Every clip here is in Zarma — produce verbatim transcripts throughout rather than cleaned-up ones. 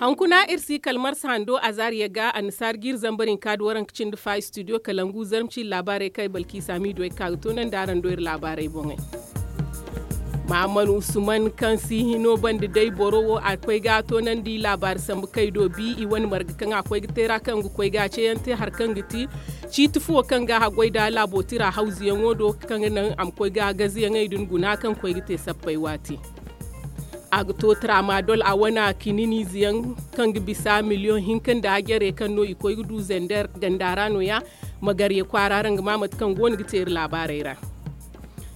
Hunkuna iri si kala marsa hando azaariya ga annasaara ga iri zambar hinka nda waranka cindi fa istudiyo kalangu zarma ciri laabaarey kaŋ ay balkiisa miido ay ga ka ga toonandi araŋ do iri laabaarey boŋey. Mahammad usman kaŋ si hino banda day boro wo a koy ga toonandi laabaari sambu kay do bi i wane marga kaŋ a koy ga teera kaŋ ga koy ga ceeyaŋ te hari kaŋ ga ti ciiti fuwo kaŋ ga haggoy nda laabo tira hawzuyaŋo do kaŋ ga naŋ a ma koy ga gaziyaŋey din guna kaŋ koy ga te sappey waati. A ga to tramadol a wane kininiize yaŋ kaŋ ga bisa miliyoŋ hinka nda jare kaŋ no i koy ga du zender ganda ra no- ya. Magarye kwaara ra nga ma mate kaŋ go no ga te iri laabaarey ra.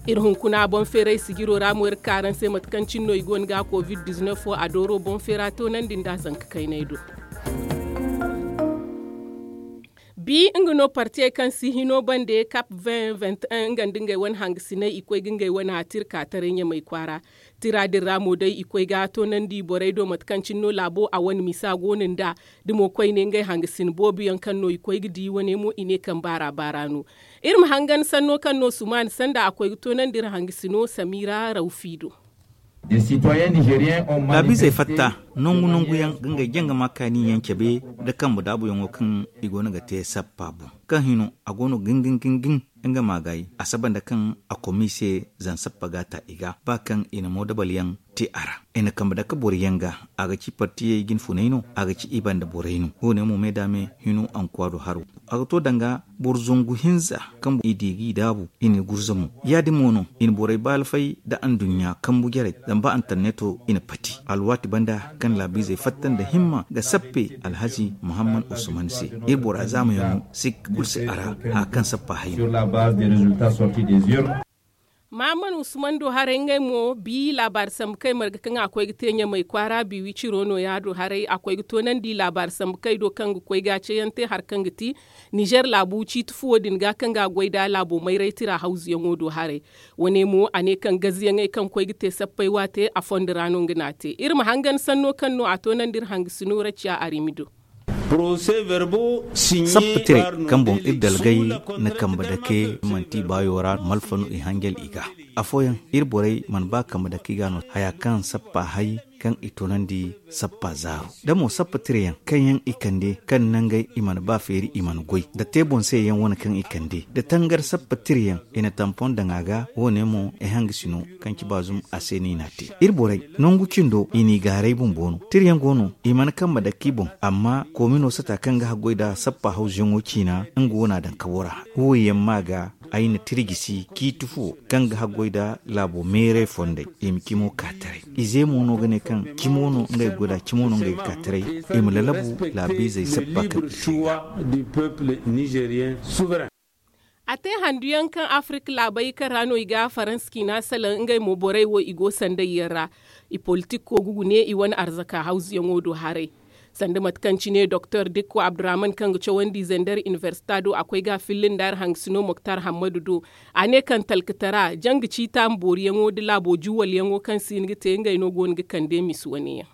Iri hunkuna boŋ feeray sijiro ra mo iri ga ka araŋ se mate kaŋ cine no i go no ga covid dizinef wo a dooro boŋ feera toonandi nda zanka kaynay do. Bi nga no partiyey kaŋ si hino bande kap vingt vingt et un nga nda ngey wane hangasiney i koy ga ngey wane a tira ka taray ɲamay kwaara. Tira din ra mo day i koy ga toonandi borey do mate kaŋ cine no laabo a wane misa go no nd'a. Da mo koyne ngey hangasin boobo yaŋ kaŋ no i koy ga di wane mo i ne kaŋ baara baara no. Iri ma hangan sanno kaŋ no sumaani sanda a koy ga toonandi iri hangasino samira rawfi do. Taabizey fatta nangu nangu yaŋ ga ngey jangama kaani yaŋ cabe nda kambe daabuyaŋo kaŋ i go no ga te sappa boŋ kaŋ hino a go no gingin gingin. Nga ma gaayi a saba nda kaŋ a komi se zan sappa ga ta i ga ba kaŋ i na moodabal yaŋ te a ra. I na kambe dake boro yaŋ ga a ga ci partiyey jinfunay no a ga ci i banda borey no. Wo- ne mo me da me hino ankuwa do haro a ga to danga boro zangu hinza kaŋ i di g'i daabu i na i gurza mo. Ya- din mo no i na borey baalfay nda anduɲɲa kambu jarey zama ba antarneto i na pati alwaati banda kaŋ laabiizey fatta nda himma ga sappe alhazi muhammad usman se. Iri bora zaamayaŋo sikka kulu si a ra haya kaŋ sappa hay no. Mahammad usman do haray ngey mo bi laabaari sambu kay marga kaŋ a koy ga te ɲamay kwaara bi wiciro no- ya do haray a koy ga toonandi laabaari sambu kay do kaŋ ga koy ga ceeyaŋ te hari kaŋ ga ti nizer laabu ciiti fuwo din ga kaŋ ga a goy nda laabo mayray tira hawzuyaŋo do haray. Wane mo a ne kaŋ gaziyaŋey kaŋ koy ga te sappey waate a fondo ra no nga n'a te iri ma hangan sanno kaŋ no a toonandi iri hangasino raciya arimi do. Sappa tirey kaŋ boŋ iri dalgay na kambe dake manti baayo ra malfa no i hanjal i ga. Afooyaŋ iri borey mana ba kambe dake i ga no haya kaŋ sappa hay kaŋ i toonandi sappa zaaru da mo sappa tireyaŋ kaŋ yaŋ i kande kaŋ nangey i mana ba feeri i mana goy da te boŋ se yaŋ wane kaŋ i kande da tangar sappa tireyaŋ i na tampon daŋ a ga wo- ne mo ay hangasino kaŋ ci baazum a se no i n'a te. Iri borey nangu cindo i n'i gaaray bumbo no tirayaŋ go no i mana kambe dake i boŋ amma koomino sata kaŋ ga haggoy nda sappa hawzuyaŋo ciina nga wo n'a daŋ kabo ra. Wo- yaŋ ma ga ay na tira gisi ciiti fo kaŋ ga haggoy nda laabo meeray fondey i ma cimo ka taray. Ize mo no ga ne kaŋ cimo no ngey ga goy nd'a cimo no ngey ga ka taray i ma lalabu laabiizey sappa kaŋ i te i ga. A te handuyaŋ kaŋ afirika laabey kaŋ ra no i ga faransa ciina salaŋ ngey mo borey wo i go sanday yaŋ ra. I politik ko ga gune i wane arzaka hawzuyaŋo do haray. Sanda mate kaŋ cine doktor dikko abdurrahman kaŋ ga cawandi zender inibersita do a koy ga a filli nda hari hangasino moktar hammadu do. A ne kaŋ talkatara janga ciita ma booriyaŋo nda laabo juwalyaŋo kaŋ si hin ga te ngey no go no ga kande misi wane yaŋ.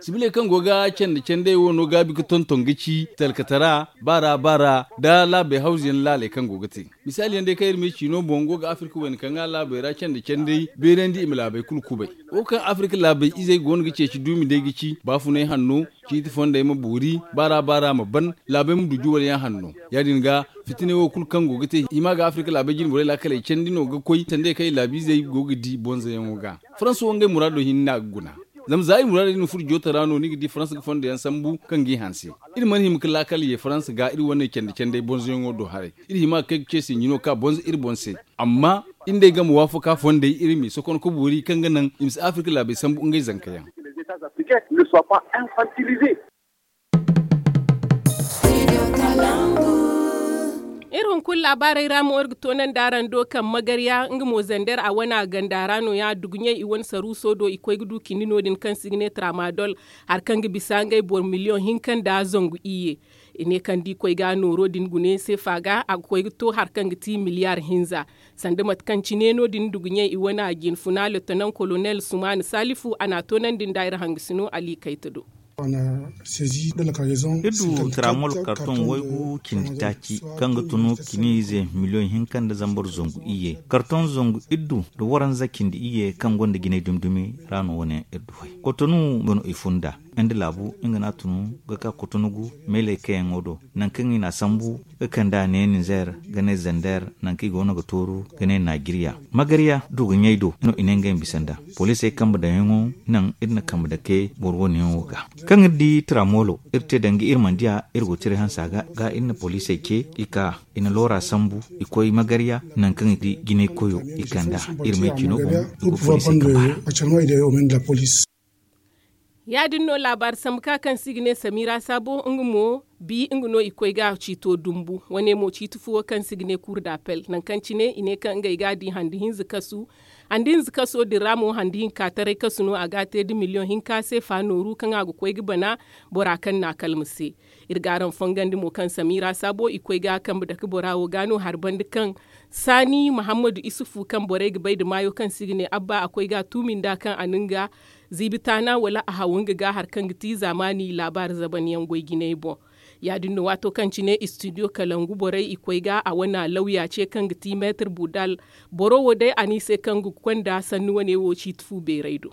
Sibiley kaŋ go ga candi candey wo no gaabi ga tonton ga ci talkatara baara baara nda laabey hawzuyaŋ laaley kaŋ go ga te. Misaali yaŋ day kaŋ iri ma ay ci no boŋ go ga afirka wayna kaŋ ga laabey ra candi candey beerandi i ma laabey kulu kubay. Wo kaŋ afirka laabey izey go no ga ceeci duumi day ga ci baafunay hanno ciiti fondey ma boori baara baara ma ban laabey ma du juwalyaŋ hanno. Ya- din ga fitiney wo kulu kaŋ go ga te i ma ga afirka laabey jine borey laakaley candi no ga koy sanda ya kaŋ i laabiizey go ga di bonzoyaŋo ga. Faransa wo ngey muraado hinne no a ga guna. Zama za i muraadey din furo jooto ra no ni ga di faransa ga fondo yaŋ sambu kaŋ g'i hanse. Iri mana hima ga laakal ye faransa ga iri wane candi candey bonzoyaŋo do haray. Iri hima ga kay ga ce sinji no ka bonzo iri boŋ se. Amma iri nd'ey game waafaka fondey iri m'i sokon ka boori kaŋ ga naŋ i ma si afirka laabey sambu ngey zanka yaŋ. Iri hunkuna laabaarey ra mo iri ga toonandi araŋ do kaŋ magarya nga mo zander a wane a ganda ra no- ya duguɲey i wane saruuso do i koy ga du cindi no- din kaŋ se i ga ne tramadol hari kaŋ ga bisa ngey boro miliyoŋ hinka nda zangu iyye. I ne kaŋ da i koy ga nooro din gune seefa ga a ga koy ga to hari kaŋ ga ti miliyaar hinza. Sanda mate kaŋ cine no- din duguɲey i wane a jinfuna letonan kolonel sumaani salifu a n'a toonandi nda iri hangasino ali kayta do. Iri du tramol karton waygu cindi taaci, kaŋ ga tunu kiniize miliyoŋ hinka nda zambar zangu iyye. Karton zangu iddu nda waranza cindi iyye kaŋ gonda jinay dumi-dumi ra no wane iri du hay. Kotonu ga no i funda. Nda laabu nga no a tunu ga ka kotonu gu meelay kayaŋo do, nangu kaŋ i n'a sambu ga kand'a ne ninzeer, ga ne zander, nangu kaŋ i goono ga tooru ga ne naajiriya. Magarya du ga ɲay do no i ne ngey ma bisa nd'a. Poliisey kambe daŋyaŋo naŋ iri na kambe dake boro wo- ne yaŋo ga. Kaŋ iri di tramolo iri te danga iri mana diya, iri go tiray hansa ga, ga iri na poliisey ce i ka, i na loora sambu, i koy magarya, nangu kaŋ i di jinay koyo i kand'a. Iri may cino boŋ i go poliisey kambe ra. Ya- din no laabaari sambu ka kaŋ se i ga ne samira saabo nga mo bi nga no i koy ga ciito dumbu. Wane mo ciiti fu wo kaŋ se i ga ne kuur da pel nangu kaŋ cine i ne kaŋ ngey ga a di handi hinza kasu. Handi hinza kaso din ra mo handi hinka taray kasu no a ga a te nda miliyoŋ hinka se fa nooru kaŋ a ga koy ga bana bora kaŋ n'a kalma se. Iri ga araŋ fongandi mo kaŋ samira saabo i koy ga kambe dake bora wo ga no hari banda kaŋ saani muhammadu isufu kaŋ borey ga bay nda maayo kaŋ se i ga ne abba a koy ga a tuumi nd'a kaŋ a na nga ziibi taana wala a haw nga ga hari kaŋ ga ti zaamaani laabaari zaban yaŋ goy jinay boŋ. Ya- din no waato kaŋ cine istidiyo kalangu borey i koy ga a wane lawya ce kaŋ ga ti meetir budal. Boro wo day a ne i se kaŋ ga konda sanni wane wo ciiti fu beeray do.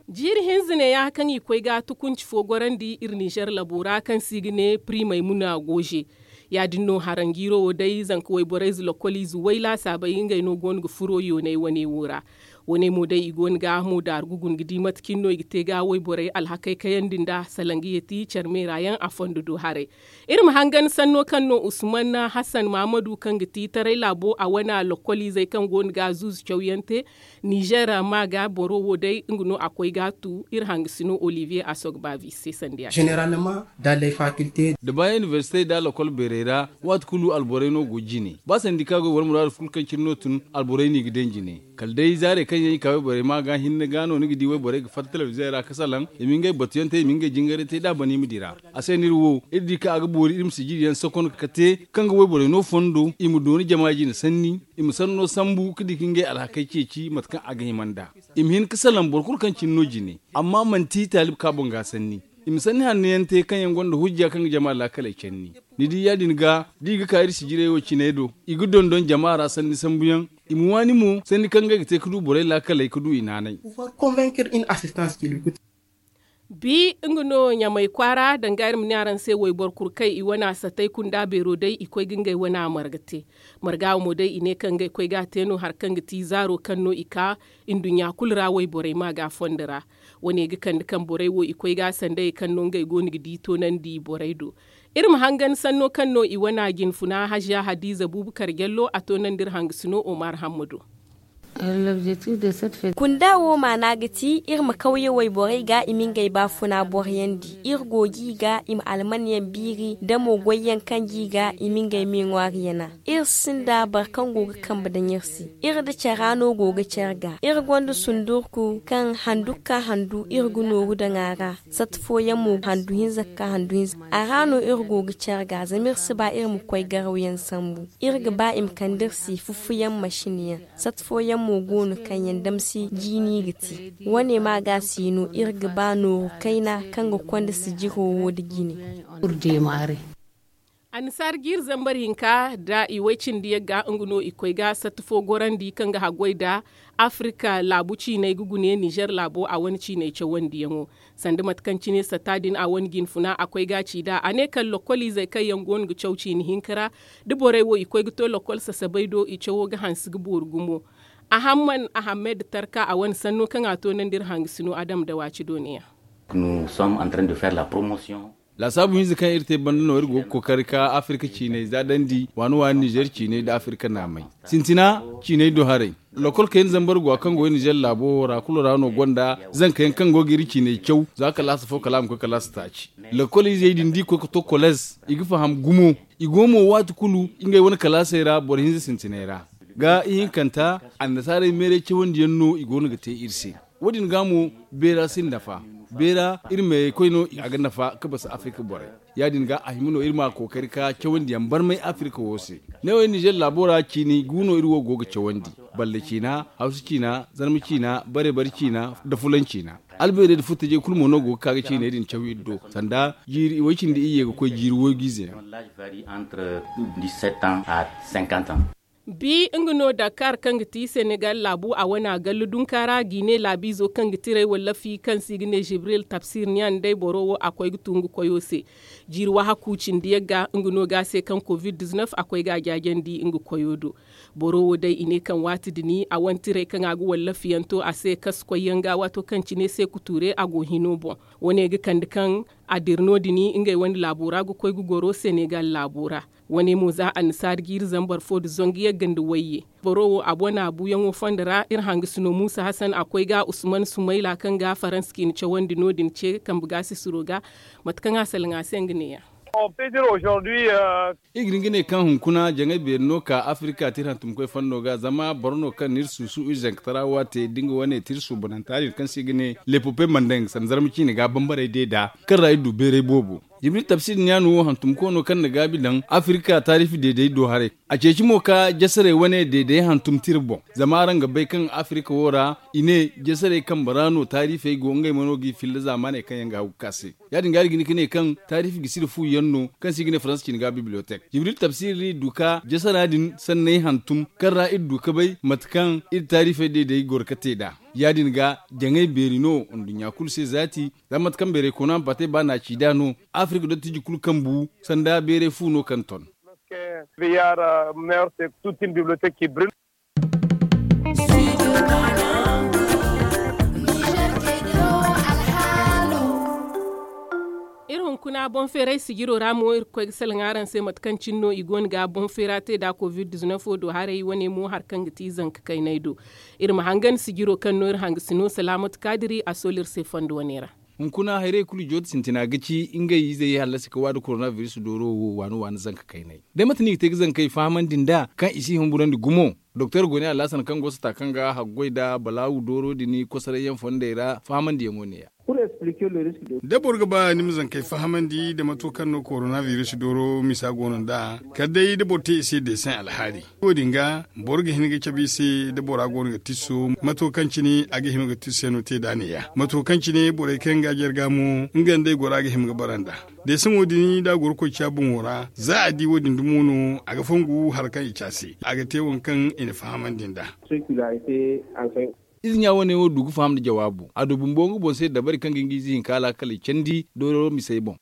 Jiiri hinza neeya kaŋ i koy ga tukunci fo gorandi iri ninzeer labo ra kaŋ se i ga ne piri maymuna gooze. Ya- din no haranjiiro wo day zanka wayborey ize lokol ize way laasaabey ngey no go no ga furo yoonay wane wo ra. Wane mo day i go no ga hamo daaru ga guna ga di mate cine no i ga te ga wayborey alhakey kayandi nd'a salaŋ ga yeeti care meera yaŋ a fondo do haray. Iri ma hangan sanno kaŋ no usman hasan mahamadu kaŋ ga ti taray laabo a wane lokol izey kaŋ go no ga zuuzu cawyaŋ te. Ninzeer ma ga boro wo day nga no a koy ga a tu iri hangasino olivier asogbavi se sanda ya. Généralement dans les facultés. Da ba inibersite nda lokol beerey ra waati kulu alborey no go jine ba sandi kaŋ a go boro muraadu kulu kaŋ cine no tun alborey no i ga daŋ jine. Kala day zaarey kaŋ yaŋ i ka wayborey ma ga hinne ga no ni ga di wayborey ga fatta telebiziyoŋ ra ga salaŋ i ma ngey batuyaŋ te i ma ngey jingaray te da a ban i ma dira. A se no iri wo iri di kaŋ a ga boori iri ma sijiri yaŋ sokon ga te kaŋ ga wayborey no fondo i ma dooni jama jine sanni. I ma sanno sambu ga di ga ngey alhakey ceeci mate kaŋ a ga hima nd'a. I ma hin ga salaŋ boro kulu kaŋ cine no jine amma manti taalib ka boŋ ga sanni. I ma sanni hanno yaŋ te kaŋ yaŋ gonda hujja kaŋ ga jama laakaley canni. Ni di ya- din ga da i ga ka iri sijirey wo ciney do i ga dondon jama ra sanni sambuyaŋ. I ma waani mo sanni kaŋ ngey ga te ga du borey laakaley ga du i naanay. Bi nga no ɲamay kwaara danga iri ma ne araŋ se wayboro kulu kaŋ i wane a satay kunda beero day i koy ga ngey wane a marga te. Marga wo mo day i ne kaŋ ngey koy ga a te no hari kaŋ ga ti zaaro kaŋ no i ka nduɲɲa kulu ra wayborey ma ga fondo ra. Wane ga kande kaŋ borey wo i koy ga a sandayey kaŋ no ngey go no ga di toonandi borey do. Iri ma hangan sanno kaŋ no i wane a jinfuna haziya hadiiza buubu kar jallo a toonandi iri hangasino omar hammado. Kunda wo maana ga ti iri ma kawye wayborey ga i ma ngey baafuna boroyandi. Iri go ga i ga i ma almanyaŋ biiri da mo goyyaŋ kaŋ ga i ga i ma ngey me ŋwaari yana. Iri sinda boro kaŋ go ga kambe daŋ iri se. Iri nda care no go ga care ga iri gonda sundurku kaŋ handu ga ka handu iri ga nooru daŋ a ra. Sata fooyaŋ mo handu hinza ga ka handu hinza a ra no iri go ga care ga zama iri si ba iri ma koy garawyaŋ sambu. Iri ga ba i ma kande iri se fufuyaŋ masin yaŋ. Sata fooyaŋ mo go no kaŋ yaŋ damsi jiini ga te. Wane ma ga si no iri ga ba nooru kayna kaŋ ga konda sijiro wo nda jine. Annasaara jiiri zambar hinka nda i way cindi yagga nga no i koy ga sata fo gorandi kaŋ ga haggoy nda afirka laabu ciiney ga gune ninzeer laabo a wane ciiney cawandiyaŋo. Sanda mate kaŋ cine sata din a wane jinfuna a koy ga a ci nd'a a ne kala lokol izey kaŋ yaŋ go no ga caw ciini hinka ra. Da borey wo i koy ga to lokol sasabey do i cawo ga hanse ga boori gumo. Ahamman ahammed tarka a wane sanno kaŋ a toonandi iri hangasino adam da waaci do ne yaŋ. Laasaabu hinza kaŋ iri te banda no iri go ga kookari ka afirka ciiney za dandi waani waani ninzeer ciiney nda afirka naamey. Sintina ciiney do haray. Lokol kayna zambar go a kaŋ go iri ninzeer laabo wo ra kulu ra no gonda zanka yaŋ kaŋ go ga iri ciiney caw za kalaasa fo kala a ma koy kalaasa taaci. Lokol izey din da i koy ga to koleez i ga faham gumo. I go mo waati kulu ngey wane kalaasey ra boro hinza sintiney ra. Ga ihinkanta annasaarey meeray cawandiyaŋ no i go no ga te iri se. Wo- din ga mo beera si nafa. Beera iri meeray koy no a ga nafa ga basa afirka borey. Ya- din ga a hima no iri ma kookari ka cawandiyaŋ barmay afirka wo se. Ne wo iri ninzeer laabo ra ciini gu no iri wo go ga cawandi. Balle ciina, hawsa ciina, zarma ciina, bare bare ciina, nda fulan ciina. Albeerey nda furtajey kulu mo no go ga ka ga ciiney din caw iri do, sanda jiiri way cindi iyye ga koy jiiri waygu ize yaŋ. Bi nga no dakar kaŋ ga ti senegal laabu a wane a gallu dunka ra gine laabiizo kaŋ ga tiray wallafi kaŋ se i ga ne jibril tabsir niyan day boro wo a koy ga tu nga koyo se. Jiiri wahaku cindi yagga nga no ga a se kaŋ covid-19 a koy ga a jaajandi nga koyo do. Boro wo day i ne kaŋ waati din a wane tiray kaŋ a ga wallafi yaŋ to a se kasu koy yaŋ ga waato kaŋ cine se kuture a go hino boŋ. Wane ga kande kaŋ a dira no- din ngey wane laabo ra ga koy ga goro senegal laabo ra. Wane mo za annasaari jiiri zambar fo nda zangu yagga nda wayye. Boro wo a bona buuyaŋo fondo ra iri hangasino muusa hasan a koy ga usman sumayla kaŋ ga faransa ciine cawandi no- din ce kambe ga sisiro ga. Mate kaŋ a salaŋ a se nga neeya. Iri ga hin ga ne kaŋ hunkuna jaŋay beeri no ka afirika te iri hantumkoy fondo ga zama boro no kaŋ na iri suusu iri zankatara waate da nga wane te iri suubananta din kaŋ se i ga ne lepope mandeng sanda zarma ciine ga bambarey de nd'a kaŋ ra iri du beeray boobo. Jibril tabsir niyaanu wo hantumkoono kaŋ na gaabi daŋ afirika taarifi deeday do haray. A ceeci mo ka jasarey wane deeday hantum tira boŋ zama araŋ ga bay kaŋ afirika wo ra i ne jasarey kambe ra no taarifey go ngey mo no g'i filla zaamaaney kaŋ yaŋ ga hagu ga ka se. Ya- din ga iri ga hin ga ne kaŋ taarifi ga sira fu yaŋ no kaŋ se i ga ne faransa cine ga bibliyotek jibril tabsir iri du ka jasara din sanney hantum kaŋ ra iri du ga bay mate kaŋ iri taarifey deeday goro ga te nd'a. Ya- din ga jaŋay beeri no nduɲɲa kulu se zaati. Zama mate kaŋ beeray koona ma baatey ba na a ci nd'a no afirika dottiji kulu kaŋ bu sanda beeray fu no kaŋ ton. Iri hunkuna boŋ feeray sijiro ra mo iri ga koy ga salaŋ araŋ se mate kaŋ cine no i go no ga boŋ feera te nd'a covid-19 wo do haray wane mo hari kaŋ ga ti zanka kaynay do. Iri ma hangan sijiro kaŋ no iri hangasino salaamatu kaadiri a soolu iri se fondo wane ra. Hunkuna hayrey kulu jooti sintina ga ci ngey izey hallasi ka waada koronabiris dooro wo waani waani zanka kaynay. Day mate no i ga te ga zankey fahamandi nd'a kaŋ i si humburandi gumo? Doktor gone alhasan kaŋ go sata kaŋ ga haggoy nda balaawu dooro din kosoray yaŋ fondey ra fahamandiyaŋo neeya. Da boro ga ba ni ma zankey fahamandi nda mato kaŋ no koronabiris dooro misa go no nd'a kala day da boro te i se deeseŋ alhaali. Wo- din ga boro ga hin ga cabe i se da bora go no ga tisso mato kaŋ cine a ga hima ga tisso yaŋ no te nd'a neeya mato kaŋ cine borey kaŋ ga jarga mo nga nda ay gora ga hima ga bara nd'a. Deeseŋo din da a goro koy ciya boŋo ra za a di wo- din dumo no a ga fongu hari kaŋ i ci a se a ga te waŋ kaŋ i na fahamandi nd'a. Ize ɲa wane wo du ga faham nda jawaabu a du bumbo nga boŋ se dabari kaŋ ga hin ga ize hinka alaakaley candi dooro misey boŋ.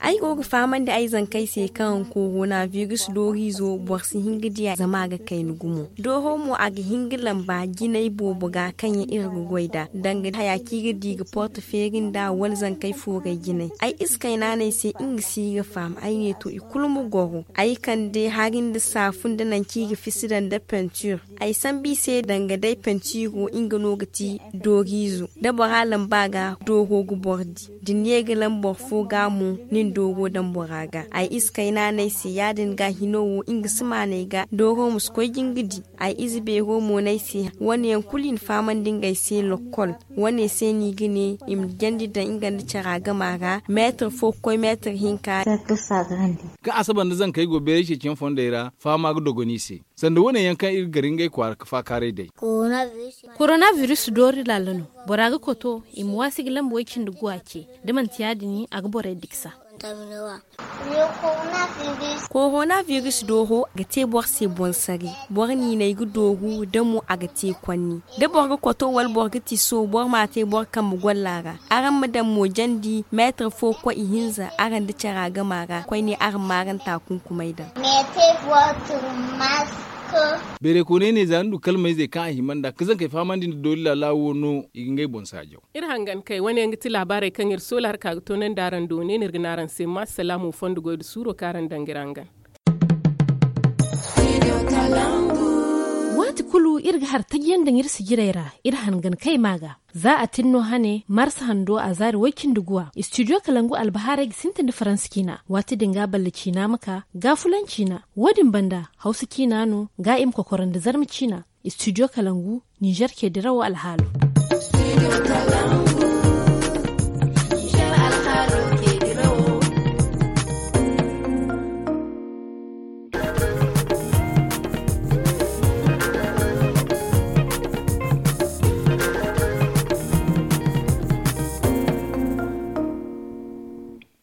Ay go ga fahamandi ay zankey se kaŋ koronabiris dooriizo boro si hin ga di a zama a ga kayna gumo. Dooro mo a ga hin ga lamba jinay boobo ga kaŋ yaŋ iri ga goy nd'a danga haya kaŋ i ga di ga porte feeri nd'a wala zankey fooray jinay. Ay ize kayna no ay se nga si ga faham ay ne to i kulu ma goro ay kande hari nda saafun nda nangu kaŋ i ga fisi daŋ nda pentir. Ay sambu i se danga day pentiiro nga no ga ti dooriizo da bora lamba ga dooro ga boro di da ni ye ga lamba boro fo ga mo ni na dooro daŋ bora ga ay ize kayna no ay se ya- din ga hino wo nga si maanay ga dooro ma si koy ga nga di. Ay ize beero mo no ay se wane yaŋ kulu i na fahamandi ngey se lokkol wane se no i ga ne i ma jandi daŋ nga nda cara gama ra meetar fo ga koy meetar hinka. Kaŋ asaba nda zankey go beeray ceeciyaŋ fondey ra fahama ga dogon i se. Sanda wane yaŋ kaŋ iri ga gar ngey kwaara ga faakaaray day. Koronabiris doori laala no. Bora ga koto i ma waasi ga lamba way cindi guwa ce da manti ya- din a ga borey diksa. Koronabiris dooro ga te boro se boŋ saray. Boro niinay ga dooru da mo a ga te konni da boro ga koto wala boro ga tiso boro m'a te boro kambe golla ra. Araŋ ma daŋ mo jandi meetar fo ga koy ihinza araŋ nda cara gama ra koyne araŋ ma araŋ taakunkumay daŋ. Beeray kooney ne za ni du kalmayzey kaŋ a hima nd'a ka zankey fahamandi nda doori laala wo no i ga ngey boŋ saajaw. Iri hangan kay wane yaŋ ga ti laabaarey kaŋ iri soola hari ka ga toonandi araŋ do ne no iri ga ne araŋ se ma salaamu fondo goy nda suuro kaŋ araŋ daŋ ga iri hangan. Waati kulu iri ga hari taji yaŋ daŋ iri sijirey ra iri hangan kay ma ga. Za a tin no hane marsa hando a zaari way-cindi guwa istidiyo kalangu albahaarey ga sintin nda faransa ciina. Waati din ga balle ciina ma ka ga fulan ciina. Wo- din banda hawsa ciina no ga i ma kokoro nda zarma ciina. Istidiyo kalangu ninzeer ce dirawo alhaalo.